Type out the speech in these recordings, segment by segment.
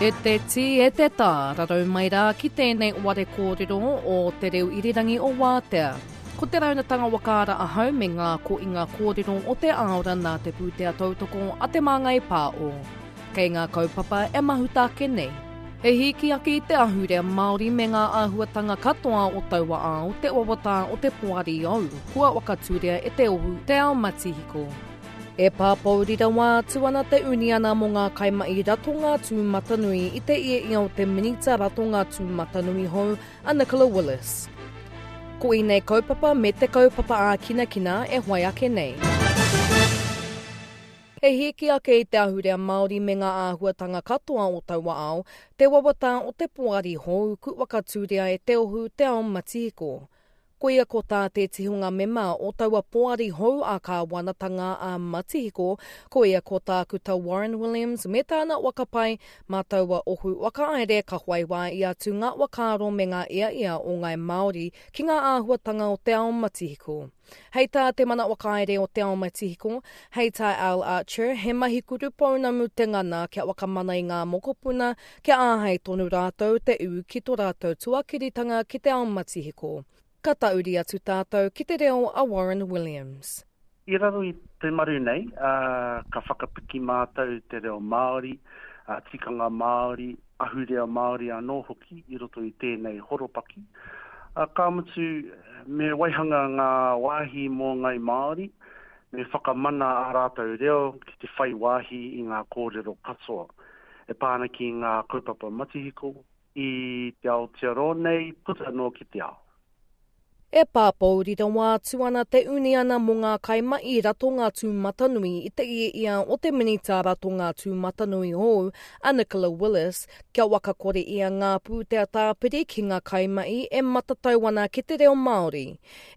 E te tī, e te tā, rarau mai rā ki tēnei ware kōrero o Te Reo Irirangi o Wātea. Ko te raunatanga whakaara ahau me ngā koinga kōrero o te āora nā te pūtea tautoko a Te Māngai Pāo. Kei ngā kaupapa e mahuta ake nei. He hīki ake i te ahurea Māori me ngā āhuatanga katoa o taua ao, te wawata o te poari ou, kua whakatūria e te ohu Te Ao Matihiko. E pāpōuri rawa atu ana te uniana mō ngā kaimahi ratonga tūmatanui i te ia o te Minita Ratonga Tūmatanui hou a Nicola Willis. Ko ēnei kaupapa me te kaupapa ākinakina e whai ake nei. He hīki ake i te ahurea Māori me ngā āhuatanga katoa o taua ao, te wawata o te poari hou ku whakatūria e Te Ohu Te Ao Matihiko. Koia ko tā te tihonga mema o taua poari hou ā-kāwanatanga a Matihiko, koia ko Tākuta Warren Williams me tāna whakapae mā taua ohu whakahaere ka whai wā i atu ngā whakaaro me ngā iaia o ngāi Māori ki ngā āhuatanga o te ao matihiko. Hei tā te mana whakahaere o Te Ao Matihiko, hei tā Al Archer, he mahi kurupounamu te ngana kia whakamana i ngā mokopuna kia āhei tonu rātou te ū ki tō rātou tuakiritanga ki te ao matihiko. Ka tauri atu tātou ki te reo a Warren Williams. I raro i te maru nei, ka whakapiki mātou te reo Māori, tikanga Māori, ahurea Māori anō hoki i roto i tēnei horopaki. Ka mutu, me waihanga ngā wāhi mō Ngai Māori, me whakamana ā rātou reo ki te whai wāhi i ngā kōrero katoa e pā ana ki ngā kaupapa matihiko i te Aotearoa nei puta noa ki te ao. E pāpōuri rawa atu ana te uniana mō ngā kaimahi ratonga tūmatanui i te ia o te Minita Ratonga Tūmatanui hou, a Nicola Willis, kia whakakore ia ngā pūtea tāpiri ki ngā kaimahi e matatau ana ki te reo Māori.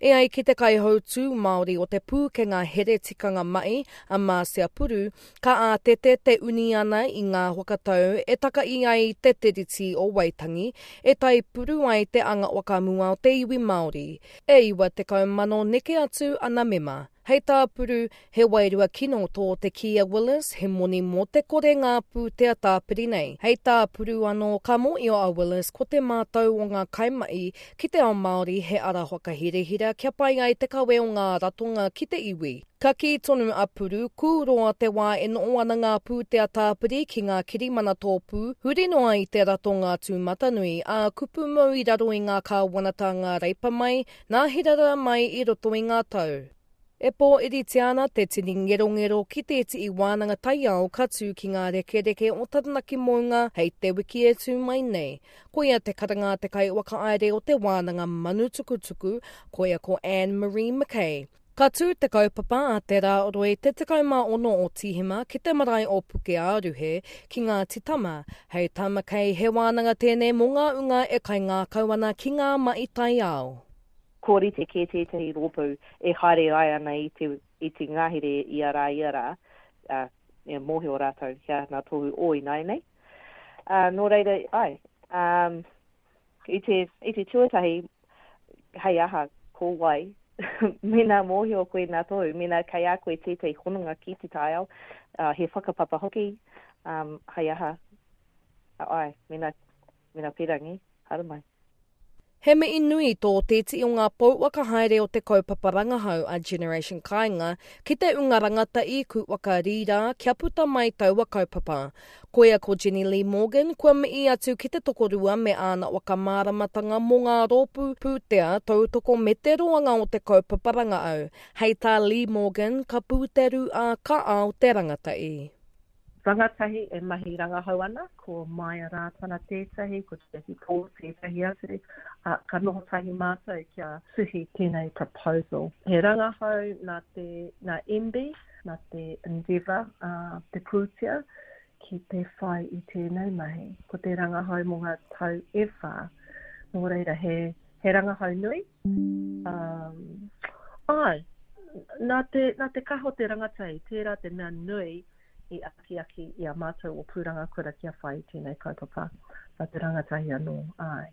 E ai ki te kaihautū Māori o te Pūkenga Here Tikanga Mahi, a Marcia Puru, Ka ātete te uniana i ngā whakatau e takahi ai te Tiriti o Waitangi, e taipuru ai te anga whakamua o te iwi Māori. E 90,000 neke atu ana mema. Hei tā Puru, he wairua kino tō te kī a Willis, he moni mō te kore ngā pūtea tāpiri nei. Hei tā Puru anō, ka mōhio a Willis ko te mātau o ngā kaimahi ki te ao Māori he ara whakahirahira kia pai ai te kawe o ngā ratonga ki te iwi. Ka kī tonu a Puru, kūroa te wā e noho ana ngā pūtea tāpiri ki ngā kirimana tōpū, huri noa i te ratonga tūmatanui, ā, kupu mau i raro i ngā kāwanatanga Reipa mai, nā Hirara mai i roto i ngā tau. E pōiritia ana te tini ngerongero ki tētihi wānanga taiao ka tū ki ngā rekereke o Taranaki Mounga hei te wiki e tū mai nei. Koia te karanga a te kaiwhakahaere o te wānanga manu tukutuku, koia ko Anne Marie McKay. Ka tū te kaupapa a Te Rā Roi te 16 o Tīhema ki te marae o Pukeāruhe, ki Ngāti Tama. Hei tā McKay, he wānanga tēnei mō ngā unga e kaingākau ana ki ngā mahi taiao. Kua rite kē tētahi rōpū e haere ai ana i te, i te ngahere ia rā, ia rā, ā, e mōhio rātou ki āna tohu o ināianei. Ā, nō reira, āe, ā, I te, i te tuatahi, hei aha, ko wai, mēnā mōhio koe nā tohu, mēnā kei a koe tētahi hononga ki te taiao, uh, he whakapapa hoki, um, hei aha, āe, mēnā, mēnā pērangi, haramai. He mihi nui tō te iti o ngā pou whakahaere o te kaupapa rangahau a Generation Kāinga ki te unga rangatahi ku whakarīrā kia puta mai taua kaupapa. Koia ko Jenny Lee Morgan, kua mihi atu ki te tokorua me āna whakamāramatanga mō ngā rōpū pūtea tautoko me te roanga o te kaupapa rangahau. Hei tā Lee Morgan, ka pūteru ā, ka ao te rangatahi. Rangatahi e mahi rangahau ana, ko Maia Rātana tētahi, ko Jackie Paul tētahi atu, ā, ka noho tahi mātou kia tuhi tēnei proposal. He rangahau nā te, nā MB, nā te Endeavour, ā, te pūtea ki te whai i tēnei mahi. Ko te rangahau mō ngā tau e whā. Nō reira, he, he rangahau nui. Um, āe, nā te, nā te kaha o te rangatahi, tērā te mea nui i akiaki i a mātou o Pūrangakura kia whai i tēnei kaupapa. Nā te rangatahi anō, āe.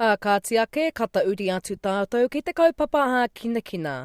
Ā, kāti ake, ka tauri atu tātou ki te kaupapa hākinakina.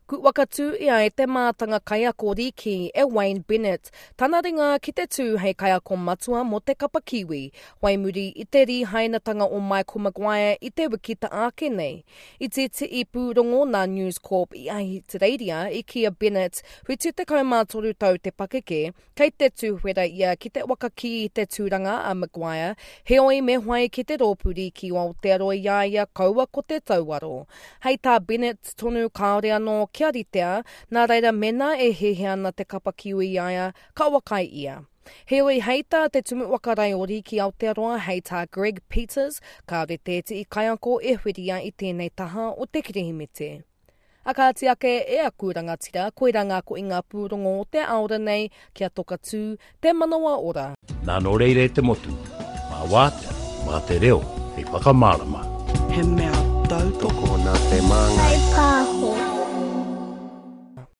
Ku whakatū ia e te mātanga kaiako rīki e Wayne Bennett tana ringa ki te tū hei kaiako matua mō te kapa Kiwi, whai muri i te rīhainatanga o Michael Maguire i te wiki ta ake nei. I tētehi pūrongo nā News Corp i Ahitereiria i kī a Bennett, 73 tau te pakeke, Kei te tūwhera ia ki te whakakī i te tūranga a Maguire, heoi me whai ki te rōpū rīki o Aotearoa i a ia kaua ko te tauaro. Hei tā Bennett tonu kāore anō kia ritea, nā reira mēnā e hiahia ana te kapa Kiwi i a ia, ka whakaae ia. Heoi hei tā te Tumu Whakarae o Rīki Aotearoa hei tā Greg Peters, kāore tētehi kaiako e whiria i tēnei taha o te Kirihimete. A kāti ake e aku rangatira, koirā ngā koinga pūrongo o te aora nei, kia toka tū, te manawa ora. Nā nō reira e te motu, mā wātea, mā te reo hei whakamārama. He mea tautoko. Tokona te māngai. Whaipāho.